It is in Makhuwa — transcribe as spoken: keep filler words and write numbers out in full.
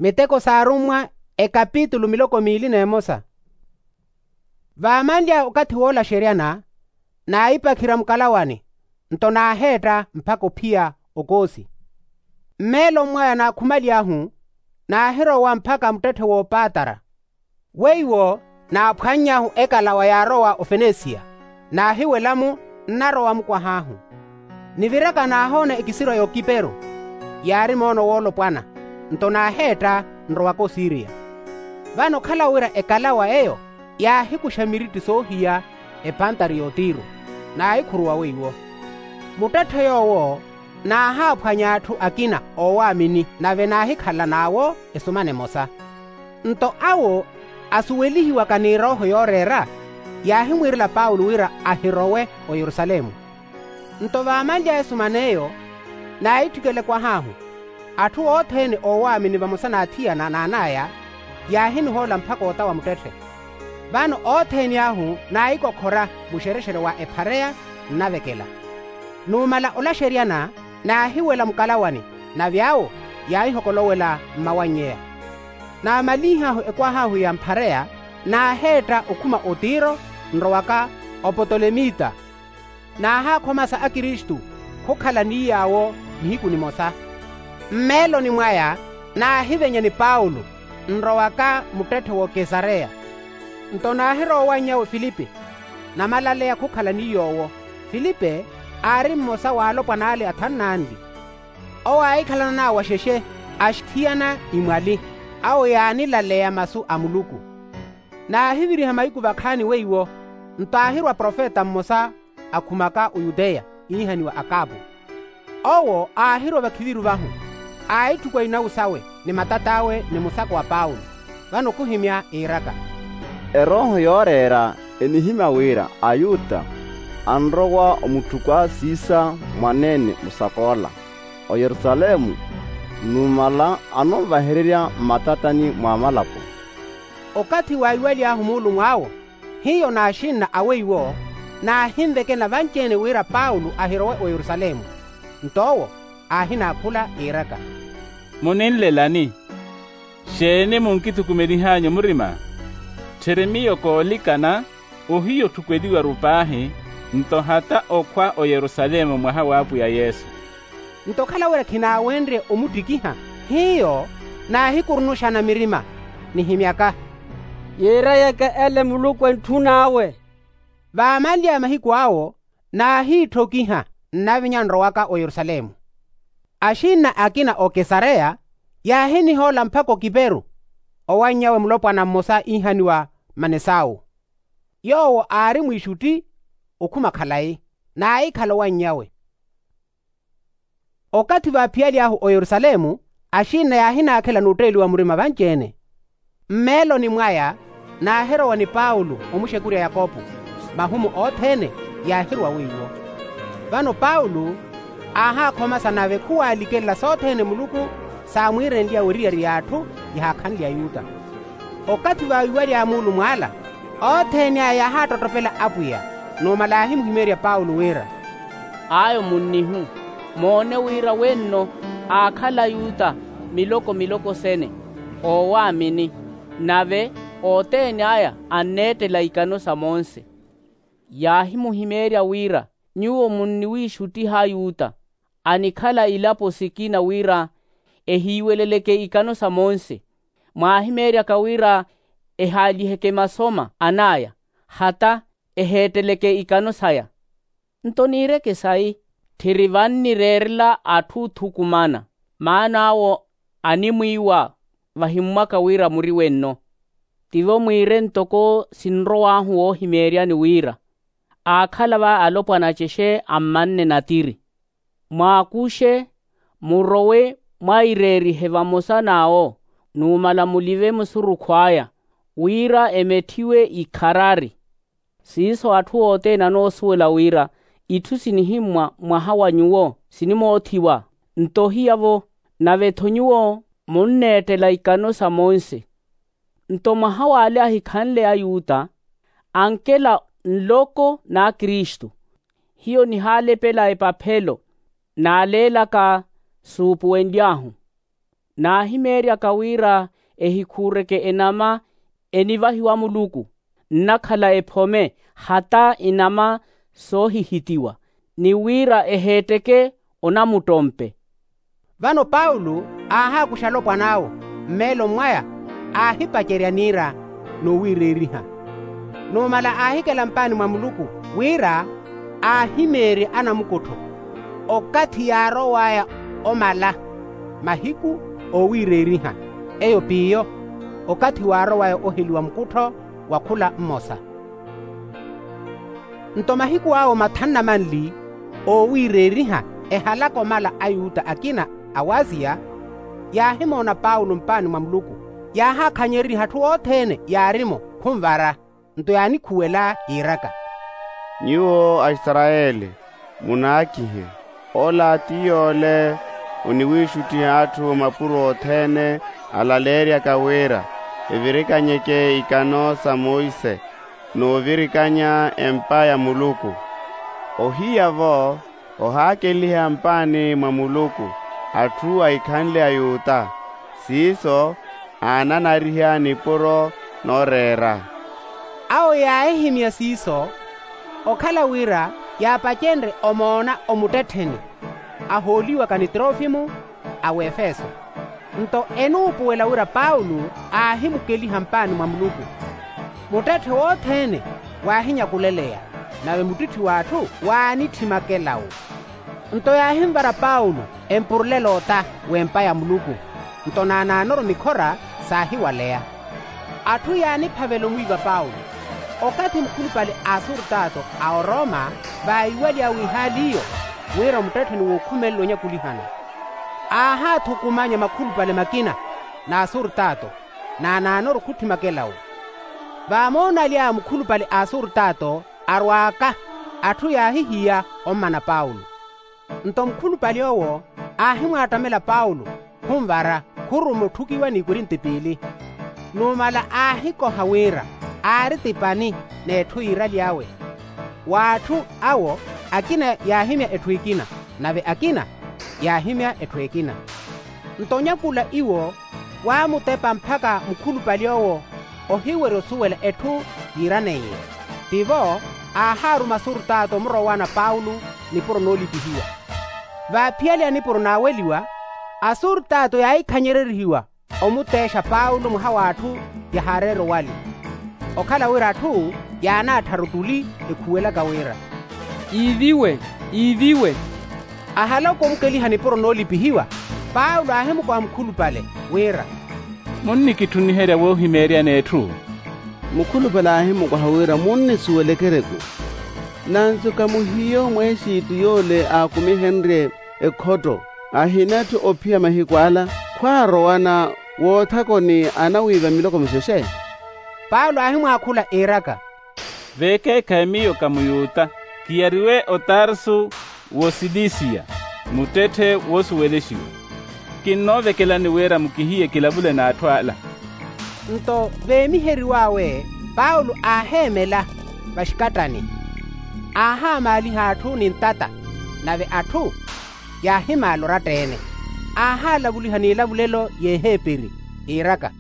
Miteko s'arummwa, ekapitulu miloko miili n'emosa. Vaamanly'aya okathi w'olaxeryana, naahipakhirya mukalawani, nto naaheetta mpakha ophiya okoosi. Mmeeloni mwaya naakhumaliyahu, naahirowa mpakha muttetthe w'opatara. Weiwo naaphwanny'ahu ekalawa yaarowa ofenesiya, naahiwela-mu, nnarowa-mu kwah'ahu. Niviraka naahoona ekisirwa y'okiperu, yaari moono woolopwana, nto naaheetta nrowaka osiriya. Vano khalawo wira ekalawa eyo yaahikuxa miritti soohiya, epantari y'otiru, naahikhuruwa weiwo. Muttetthe yoowo naahaaphwanya atthu akina oowaamini, nave naahikhala n'awo esumana emosa. Nto awo asuwelihiwaka ni erooho yooreera, yaahimwiirela paulo wira ahirowe oyerusalemu. Nto vaamanly'aya esuman'eyo, naahitthikela ekwah'ahu. Atthu othene oowaamini vamosa n'athiyana n'an'aya, yaahinihoola mpakha ota wa muttetthe. Vano othene ahu naahikokhora muxerexere wa ephareya, nnavekela. Numala olaxeryana, naahiwela mukalawani, nave awo yaahihokolowela mmawannyeya. Naamalinh'ahu ekwah'ahu ya mphareya, naaheetta okhuma otiro, nrowaka opotolemita. Naahaakhomasa akristu khukhala ni yaawo nihiku nimosa. Mmeeloni mwaya naahivenya ni paulo, nrowaka muttetthe w'okesareya. Nto naahirowa owanny'awe filipe, namalaleya khukhala ni yoowo. Filipe aari mmosa w'alopwana ale athanu n'anli. Owo aahikhalana n'awo axexe, axithiyana imwali, awo yaanilaleya masu a muluku. Naahiviriha mahiku vakhaani weiwo, nto aahirwa profeta mmosa akhumaka oyuteya, iihaniwa akapu. Owo aahirwa vakhiviru vahu, aahitthukwa inawu sawe ni matat'awe ni musako wa paulo. Vano khuhimya iiraka, erooho yooreera enihimya wira ayuta anrowa omutthukw'awe siisa mwaneene musak'ola oyerusalemu, numala anonvahererya mmatatani mw'amalapo. Okathi waawiwaly'ahu muulumw'awo, hiyo n'axinna a weiwo naahinvekela vanci-ene wira paulo ahirowe oyerusalemu. Nto owo aahinaakhula iiraka, muninlelani? Xeeni munkithukumelih'anyu murima? Tthiri miyo koolikana ohiya otthukweliwaru paahi, nto hata okhwa oyerusalemu mwaha w'apwiya yesu. Nto okhala wira khinaawenrye omuttikiha, hiyo naahikurunuxana mirima, nihimyaka, yiirayeke ele muluku entthun'awe. Vaamanly'aya mahiku awo naahiitthokiha, nnavinya nrowaka oyerusalemu. Axinna akina okesareya yaahinihoola mpakha okiperu, owannyawe mulopwana mmosa iihaniwa manesawu. Yoowo aari mwiixutti okhuma khalayi, naahikhala owannyawe. Okathi vaaphiyaly'ahu oyerusalemu, axinna yaahinaakhela n'utteeliwa murima vanci-ene. Mmeeloni mwaya naahirowa ni paulo omuxekurya yakopo. Mahumu othene yaahirowa weiwo. Vano paulo aahaakhomasa nave khuwaalikelela sothene muluku saamwiirenly'awe eriyari y'atthu yahaakhanle ayuta. Okathi vaawiwaly'aya muulumw'ala, othene aya yaahaattotopela apwiya, numala yaahimuhimeerya paulo wira, ayo munnihu, moone wira wenno aakhala ayuta miloko miloko sene, oowaamini, nave othene aya anneettela ikano sa monse. Yaahimuhimeerya wira nyuwo munniwiixuttiha ayuta anikhala ilapo sikina wira ehiiweleleke ikano sa monse. Mwaahimeeryaka wira ehaaliheke masoma an'aya, hata eheetteleke ikano saya. Nto niireke sayi, tthiri vannireerela atthu othukumana, maana awo animwiiwa vahimmwaka wira muri wenno. Tivo mwiire ntoko sinrow'ahu woohimeeryani wira, aakhala va alopwana acexe ammanne natiri. Mwaakuxe, murowe mwaireerihe vamosa n'awo, numala mulive musurukhu aya, wira emetthiwe ikharari. Siiso atthu othene anoosuwela wira itthu sinihimmwa mwaha wa nyuwo sinimoothiwa, nto hiyavo, nave-tho nyuwo munneettela ikano sa monse. Nto mwaha w'ale ahikhanle ayuta, ankela nloko n'akristu, hiyo nihaalepela epaphelo naaleelaka suupuwenly'ahu. Naahimeeryaka wira ehikhuureke enama enivahiwa muluku, nnakhala ephome hata inama soohihitiwa, ni wira eheetteke onamuttompe. Vano paulo aahaakuxa alopwan'awe, mmeeloni mwaya aahipacerya niira noowiireeriha. Numala aahikela mpaani mwa muluku wira aahimeerye anamukuttho, okathi yaarow'aya omala mahiku oowiireeriha, eyo p'iyo okathi waarow'aya oheliwa mukuttho wa khula mmosa. Nto mahiku awo mathanu na manli oowiireeriha, ehalaka omala ayuta akina awasiya yaahimoona paulo mpaani mwa muluku, yaahaakhanyereriha atthu othene yaarimo khunvara. Nto yaanikhuwela yiiraka, nyuwo aisarayeli, munaakihe. Ola ti yoole oniwiixuttiha atthu mapuro othene alaleeryaka wira evirikanyeke ikano sa monse, n'ovirikanya empa ya muluku. Ohiya-vo ohaakeliha mpaani mwa muluku atthu ahikhanle ayuta, siiso aananariha nipuro nooreera. Awo yaahihimya siiso, okhala wira yaapacenrye omoona omuttettheni ahooliwaka ni trofimu a wefeso. Nto enuupuwela wira paulo aahimukeliha mpaani mwa muluku, muttetthe wothene waahinyakuleleya, nave muttitthi w'atthu waanitthimake lawo. Nto yaahinvara paulo empurulela ota w'empa ya muluku, nto naanaanoru mikhora saahiwaleya. Atthu yaaniphavela omwiiva paulo. Okathi mukhulupale a asurtato a oroma vaiwaly'awe ihaali iyo, wira muttettheni wookhumelela onyakulihana, aahaathukumanya makhulupale makina n'asurtato, naanaanoru khutthimake lawo. Vaamoonaly'aya mukhulupale a asurtato arwaaka, atthu yaahihiya ommana paulo. Nto mukhulupale owo aahimwaattamela paulo, khunvara khuruma otthukiwa n'ikorinti piili. Numala aahikoha wira aari tipani n'etthu yiiraly'awe. W'atthu awo akina yaahimya etthu ekina, nave akina yaahimya etthu ekina. Nto onyakula iwo waamutepa mpakha mukhulupale owo ohiwerya osuwela etthu yiiraneiye. Tivo aahaaruma asurtato omurowana paulo nipuro noolipihiwa. Vaaphiyale ya nipuro naaweliwa, asurtato yaahikhanyererihiwa omuteexa paulo mwaha w'atthu yahaareera owali. Okhala wira atthu yaanaattharu ottuli ekhuwelaka wira, iiviwe, iiviwe. Ahaloka omukeliha nipuro noolipihiwa, paulo aahimukoha mukhulupale wira, munnikitthuniherya woohimeeryani etthu? Mukhulupale aahimukoha wira munnisuweleke ereku. Nansuka muhiyo mwexitu yoole aakumihenrye ekhotto, ahinathi ophiya mahiku ala khwaarowana woothakoni anawiiva miloko mixexe? Paulo aahimwaakhula iiraka, veekeekhayi miyo ka muyuta, kiyariwe otarsu w'osilisiya, muttetthe woosuwelexiwa. Kinnoovekelani wira mukihiye kilavule n'atthu ala. Nto veemiheriw'awe paulo aaheemela vaxikattani, aahaamaaliha atthu ni ntata, nave atthu yaahimaala oratta-ene. Aahaalavuliha n'ilavulelo y'eheperi, yiiraka,